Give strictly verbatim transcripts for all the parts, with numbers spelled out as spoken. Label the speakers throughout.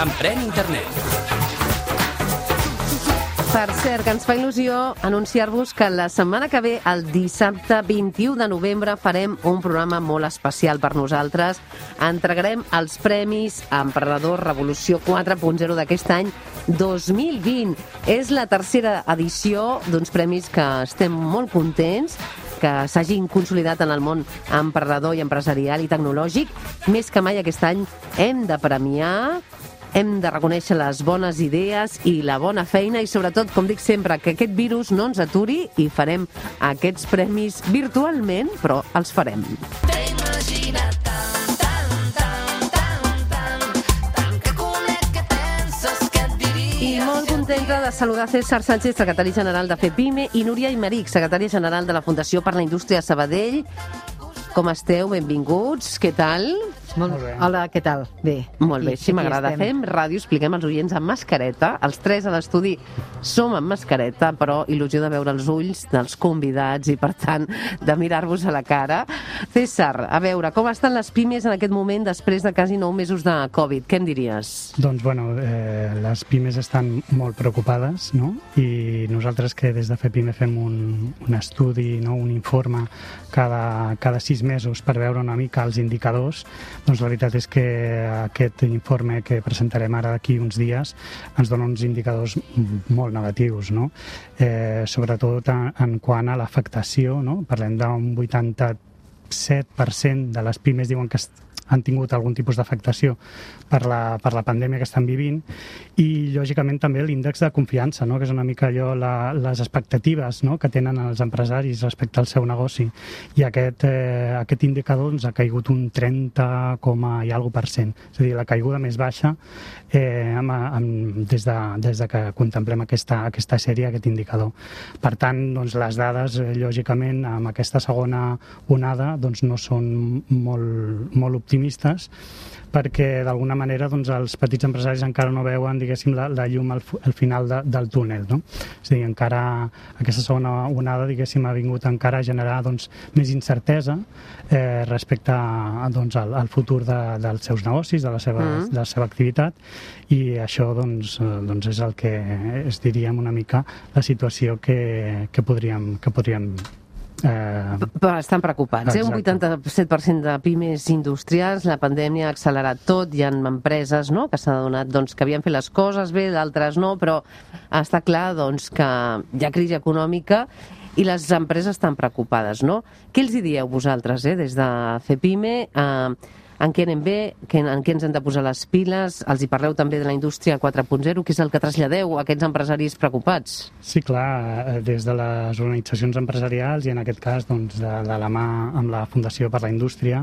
Speaker 1: Emprèn Internet.
Speaker 2: Per cert, que ens fa il·lusió anunciar-vos que la setmana que ve, el dissabte vint-i-u de novembre, farem un programa molt especial per nosaltres. Entregarem els premis Emprenedor Revolució quatre punt zero d'aquest any dos mil vint. És la tercera edició d'uns premis que estem molt contents que s'hagin consolidat en el món emprenedor i empresarial i tecnològic. Més que mai aquest any hem de premiar, hem de reconèixer les bones idees i la bona feina i sobretot, com dic sempre, que aquest virus no ens aturi i farem aquests premis virtualment, però els farem. I molt contenta de saludar César Sánchez, secretari general de FEPIME, i Núria Aymeric, secretària general de la Fundació per la Indústria Sabadell. Com esteu? Benvinguts. Què tal?
Speaker 3: Molt bé. Hola, què tal? Bé.
Speaker 2: Molt bé, així m'agrada. Fem ràdio, expliquem als oients amb mascareta. Els tres a l'estudi som amb mascareta, però il·lusió de veure els ulls dels convidats i, per tant, de mirar-vos a la cara. César, a veure, com estan les pimes en aquest moment després de quasi nou mesos de Covid? Què en diries?
Speaker 4: Doncs, bueno, eh, les pimes estan molt preocupades, no? I nosaltres que des de FEPIME fem un, un estudi, no? Un informe cada, cada sis mesos per veure una mica els indicadors. Doncs la veritat és que aquest informe que presentarem ara d'aquí uns dies ens dona uns indicadors molt negatius, no? Eh, sobretot en, en quant a l'afectació, no? Parlem d'un vuitanta-set per cent de les pimes diuen que han tingut algun tipus d'afectació per la, per la pandèmia que estan vivint i, lògicament, també l'índex de confiança, no? Que és una mica allò, la, les expectatives, no? Que tenen els empresaris respecte al seu negoci. I aquest, eh, aquest indicador ens ha caigut un trenta coma i alguna per cent. És a dir, la caiguda més baixa eh, amb, amb, des, de, des de que contemplem aquesta, aquesta sèrie, aquest indicador. Per tant, doncs, les dades, eh, lògicament, amb aquesta segona onada, doncs, no són molt, molt optimistes, perquè d'alguna manera doncs, els petits empresaris encara no veuen, diguéssim, la, la llum al, al final de, del túnel, no? És a dir, encara aquesta segona onada, diguéssim, ha vingut encara a generar doncs, més incertesa eh, respecte a, doncs, al, al futur de, dels seus negocis, de la seva, mm. de la seva activitat, i això doncs, doncs és el que és, diríem, una mica la situació que, que podríem, que podríem
Speaker 2: Eh... Estan preocupats, eh? Un vuitanta-set per cent de pimes industrials, la pandèmia ha accelerat tot, hi ha empreses, no?, que s'ha adonat doncs, que havien fet les coses bé, d'altres no, però està clar doncs, que hi ha crisi econòmica i les empreses estan preocupades, no? Què els hi dieu vosaltres, eh, des de FEPIME? Eh, en què anem bé, en què ens hem de posar les piles? Els hi parleu també de la indústria quatre punt zero, que és el que traslladeu a aquests empresaris preocupats?
Speaker 4: Sí, clar, des de les organitzacions empresarials i en aquest cas doncs, de, de la mà amb la Fundació per la Indústria,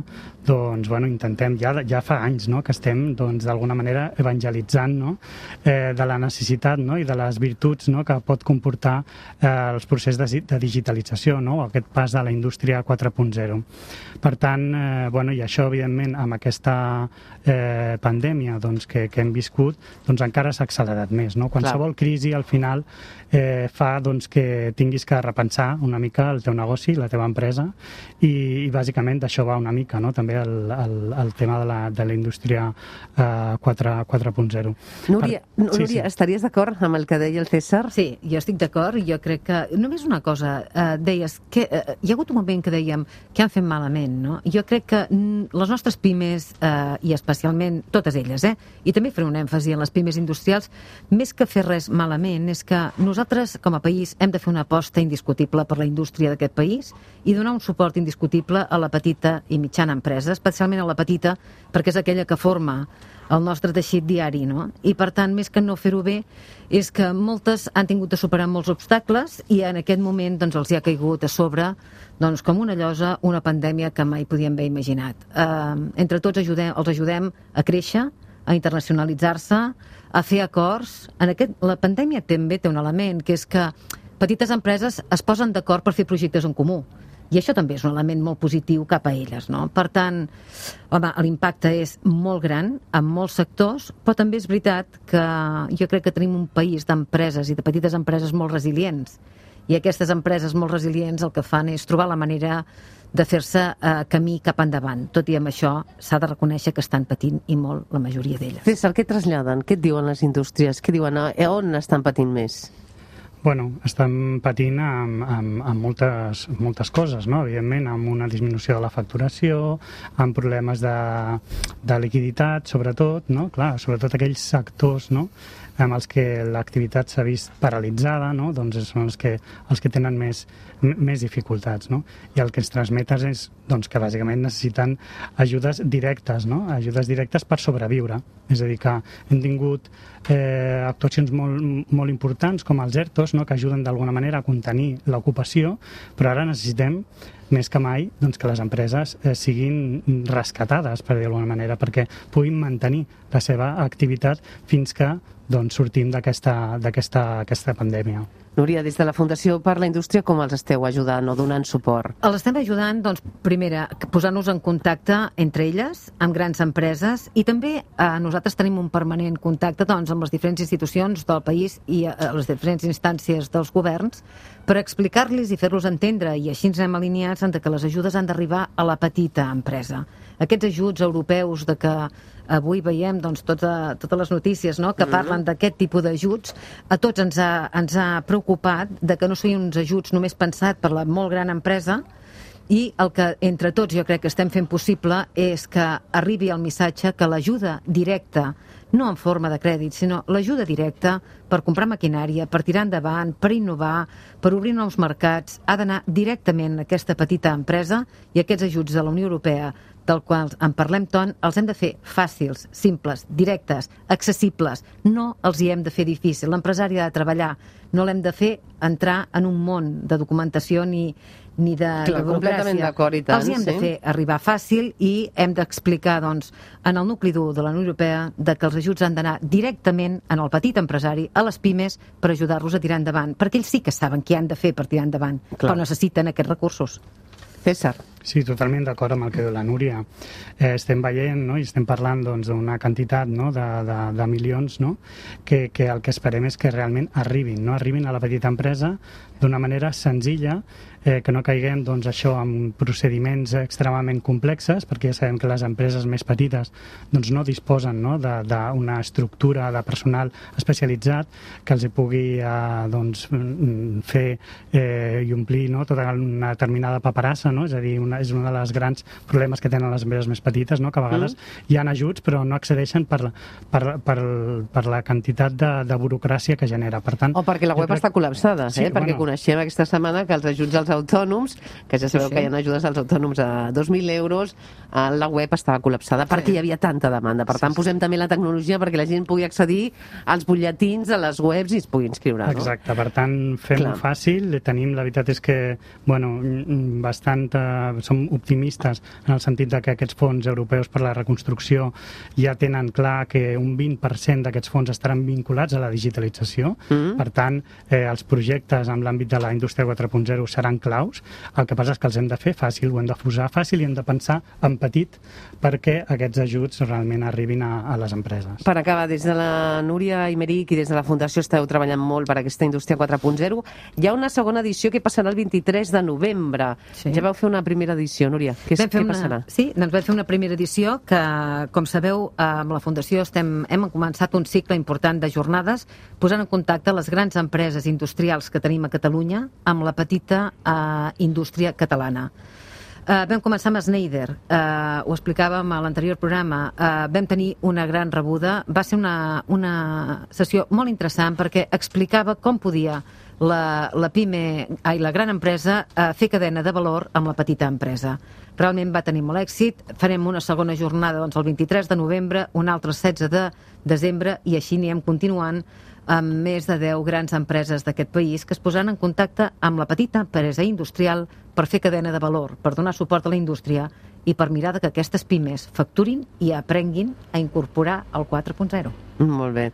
Speaker 4: doncs, bueno, intentem, ja, ja fa anys, no?, que estem doncs, d'alguna manera evangelitzant, no?, eh, de la necessitat, no?, i de les virtuts, no?, que pot comportar eh, els processos de, de digitalització, no?, aquest pas de la indústria quatre punt zero. Per tant, eh, bueno, i això evidentment amb aquesta eh, pandèmia doncs, que, que hem viscut, doncs encara s'ha accelerat més, no? Qualsevol crisi al final eh, fa doncs, que tinguis que repensar una mica el teu negoci, la teva empresa, i, i bàsicament d'això va una mica, no?, també el, el, el tema de la, de la indústria eh, quatre punt zero.
Speaker 2: Núria, per... Núria sí, sí. Estaries d'acord amb el que deia el César?
Speaker 3: Sí, jo estic d'acord, i jo crec que només una cosa, eh, deies que eh, hi ha hagut un moment que dèiem que han fet malament, no? Jo crec que mm, les nostres pimes, eh, i especialment totes elles, eh, i també faré un èmfasi en les pimes industrials, més que fer res malament, és que nosaltres com a país hem de fer una aposta indiscutible per la indústria d'aquest país i donar un suport indiscutible a la petita i mitjana empresa, especialment a la petita, perquè és aquella que forma el nostre teixit diari, no? I per tant, més que no fer-ho bé, és que moltes han tingut de superar molts obstacles i en aquest moment doncs, els hi ha caigut a sobre doncs, com una llosa, una pandèmia que mai podíem haver imaginat. Eh, entre tots ajudem, els ajudem a créixer, a internacionalitzar-se, a fer acords. En aquest, la pandèmia també té un element, que és que petites empreses es posen d'acord per fer projectes en comú. I això també és un element molt positiu cap a elles, no? Per tant, home, l'impacte és molt gran en molts sectors, però també és veritat que jo crec que tenim un país d'empreses i de petites empreses molt resilients. I aquestes empreses molt resilients el que fan és trobar la manera de fer-se eh, camí cap endavant. Tot i amb això, s'ha de reconèixer que estan patint i molt la majoria d'elles.
Speaker 2: César, què traslladen? Què et diuen les indústries? Què diuen? A on estan patint més?
Speaker 4: Bueno, estan patint amb, amb, amb moltes, moltes coses, no? Evidentment, amb una disminució de la facturació, amb problemes de, de liquiditat, sobretot, no? Clar, sobretot aquells sectors, no?, amb els que l'activitat s'ha vist paralitzada, no? Doncs són els que, els que tenen més, més dificultats, no? I el que ens transmeten és doncs, que bàsicament necessiten ajudes directes, no? Ajudes directes per sobreviure. És a dir, que hem tingut eh, actuacions molt, molt importants com els ERTOs, no? Que ajuden d'alguna manera a contenir l'ocupació, però ara necessitem més que mai doncs, que les empreses eh, siguin rescatades, per dir-ho d'alguna manera, perquè puguin mantenir la seva activitat fins que doncs, sortim d'aquesta d'aquesta aquesta pandèmia.
Speaker 2: Núria, des de la Fundació per la Indústria, com els esteu ajudant o donant suport?
Speaker 3: Els estem ajudant, doncs, primera, posant-nos en contacte entre elles, amb grans empreses, i també eh, nosaltres tenim un permanent contacte doncs, amb les diferents institucions del país i eh, les diferents instàncies dels governs per explicar-los i fer-los entendre, i així ens hem alineats en que les ajudes han d'arribar a la petita empresa. Aquests ajuts europeus de que avui veiem doncs, tota, totes les notícies, no?, que parlen d'aquest tipus d'ajuts, a tots ens ha, ens ha preocupat de que no siguin uns ajuts només pensat per la molt gran empresa, i el que entre tots jo crec que estem fent possible és que arribi el missatge que l'ajuda directa, no en forma de crèdit, sinó l'ajuda directa per comprar maquinària, per tirar endavant, per innovar, per obrir nous mercats, ha d'anar directament a aquesta petita empresa, i aquests ajuts de la Unió Europea del qual en parlem tant, els hem de fer fàcils, simples, directes, accessibles. No els hi hem de fer difícil. L'empresari ha de treballar. No l'hem de fer entrar en un món de documentació ni, ni de,
Speaker 2: Clar,
Speaker 3: de burocràcia.
Speaker 2: Completament d'acord, i tant.
Speaker 3: Els hi hem
Speaker 2: sí.
Speaker 3: de fer arribar fàcil i hem d'explicar doncs, en el nucli dur de la Unió Europea de que els ajuts han d'anar directament en el petit empresari, a les pimes, per ajudar-los a tirar endavant. Perquè ells sí que saben què han de fer per tirar endavant,
Speaker 2: Clar.
Speaker 3: però necessiten aquests recursos.
Speaker 2: César.
Speaker 4: Sí, totalment d'acord amb el que diu la Núria. Eh, estem veient, no?, i estem parlant doncs, d'una quantitat, no?, de, de, de milions, no?, que, que el que esperem és que realment arribin, no?, arribin a la petita empresa d'una manera senzilla, eh, que no caiguem doncs, això en procediments extremadament complexes, perquè ja sabem que les empreses més petites doncs, no disposen, no?, d'una estructura de personal especialitzat que els hi pugui eh, doncs, fer eh, i omplir, no?, tota una determinada paperassa, no?, és a dir, una, és un dels grans problemes que tenen les empreses més petites, no?, que a vegades mm. hi ha ajuts però no accedeixen per, per, per, per la quantitat de, de burocràcia que genera. Per tant,
Speaker 2: o perquè la web crec... està col·lapsada, eh? Sí, perquè bueno. Coneixem aquesta setmana que els ajuts als autònoms, que ja sabeu sí, sí. que hi ha ajudes als autònoms a dos mil euros, la web estava col·lapsada sí. perquè hi havia tanta demanda. Per tant, sí, sí. posem també la tecnologia perquè la gent pugui accedir als butlletins, a les webs i es pugui inscriure. No?
Speaker 4: Exacte, per tant, fem-ho fàcil. Tenim, la veritat és que, bueno, bastant, eh, som optimistes en el sentit de que aquests fons europeus per la reconstrucció ja tenen clar que un vint per cent d'aquests fons estaran vinculats a la digitalització. Mm. Per tant, eh, els projectes en l'àmbit de la indústria quatre punt zero seran claus. El que passa és que els hem de fer fàcil, ho hem de posar fàcil i hem de pensar en petit perquè aquests ajuts realment arribin a, a les empreses.
Speaker 2: Per acabar, des de la Núria Aymeric i des de la Fundació esteu treballant molt per aquesta indústria quatre punt zero. Hi ha una segona edició que passarà el vint-i-tres de novembre. Sí. Ja vau fer una primera edició, Núria. Què, què
Speaker 3: una,
Speaker 2: passarà?
Speaker 3: Sí, doncs vam fer una primera edició que, com sabeu, amb la Fundació estem, hem començat un cicle important de jornades posant en contacte les grans empreses industrials que tenim a Catalunya amb la petita eh, indústria catalana. Uh, vam començar amb Schneider, uh, ho explicàvem a l'anterior programa, uh, vam tenir una gran rebuda, va ser una, una sessió molt interessant perquè explicava com podia la, la PIME, ai, la gran empresa uh, fer cadena de valor amb la petita empresa. Realment va tenir molt èxit, farem una segona jornada doncs, el vint-i-tres de novembre, una altra el setze de desembre i així anirem continuant amb més de deu grans empreses d'aquest país que es posaran en contacte amb la petita empresa industrial per fer cadena de valor, per donar suport a la indústria i per mirar que aquestes pimes facturin i aprenguin a incorporar el quatre punt zero.
Speaker 2: Molt bé.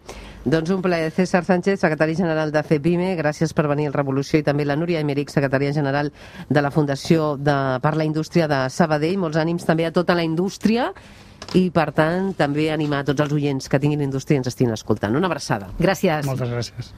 Speaker 2: Doncs un plaer. César Sánchez, secretari general de FEPIME, gràcies per venir al Revolució, i també la Núria Aymeric, secretària general de la Fundació de, per la Indústria de Sabadell. Molts ànims també a tota la indústria i, per tant, també animar a tots els oients que tinguin indústria i ens estiguin escoltant. Una abraçada.
Speaker 3: Gràcies.
Speaker 4: Moltes gràcies.